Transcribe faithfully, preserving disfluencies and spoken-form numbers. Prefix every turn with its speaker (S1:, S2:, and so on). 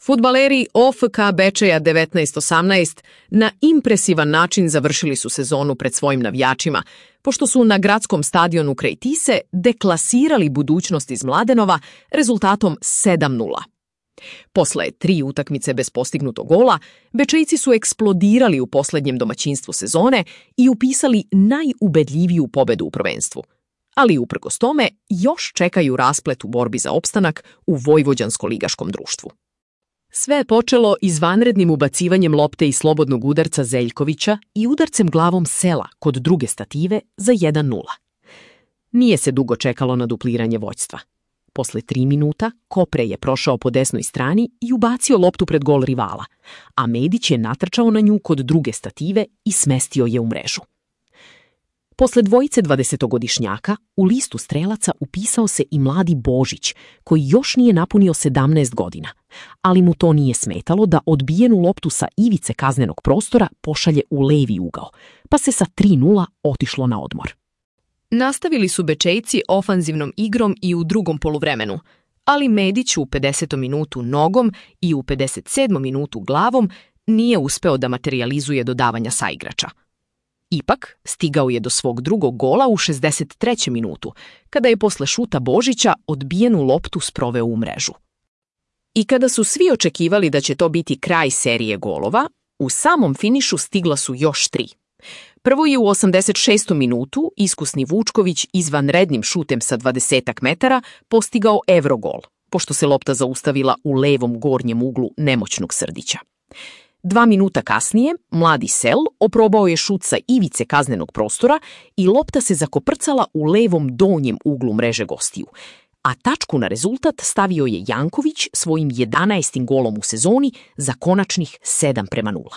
S1: Fudbaleri O F K Bečeja devetnaest osamnaest na impresivan način završili su sezonu pred svojim navijačima, pošto su na gradskom stadionu kraj Tise deklasirali budućnost iz Mladenova rezultatom sedam nula. Posle tri utakmice bez postignutog gola, Bečejci su eksplodirali u poslednjem domaćinstvu sezone i upisali najubedljiviju pobedu u prvenstvu. Ali uprkos tome još čekaju rasplet u borbi za opstanak u vojvođansko-ligaškom društvu. Sve je počelo izvanrednim ubacivanjem lopte iz slobodnog udarca Zeljkovića i udarcem glavom Sela kod druge stative za jedan nula. Nije se dugo čekalo na dupliranje vođstva. Posle tri minuta Kopre je prošao po desnoj strani i ubacio loptu pred gol rivala, a Medić je natrčao na nju kod druge stative i smestio je u mrežu. Posle dvojice dvadesetogodišnjaka u listu strelaca upisao se i mladi Božić, koji još nije napunio sedamnaest godina, ali mu to nije smetalo da odbijenu loptu sa ivice kaznenog prostora pošalje u levi ugao, pa se sa tri nula otišlo na odmor. Nastavili su Bečejci ofanzivnom igrom i u drugom poluvremenu, ali Medić u pedesetom minutu nogom i u pedeset sedmom minutu glavom nije uspeo da materijalizuje dodavanja saigrača. Ipak, stigao je do svog drugog gola u šezdeset trećem minutu, kada je posle šuta Božića odbijenu loptu sproveo u mrežu. I kada su svi očekivali da će to biti kraj serije golova, u samom finišu stigla su još tri. Prvo je u osamdeset šestom minutu iskusni Vučković izvanrednim šutem sa dvadesetak metara postigao evrogol, pošto se lopta zaustavila u levom gornjem uglu nemoćnog Srdića. Dva minuta kasnije, mladi Sel oprobao je šut sa ivice kaznenog prostora i lopta se zakoprcala u levom donjem uglu mreže gostiju, a tačku na rezultat stavio je Janković svojim jedanaestim golom u sezoni za konačnih sedam prema nula.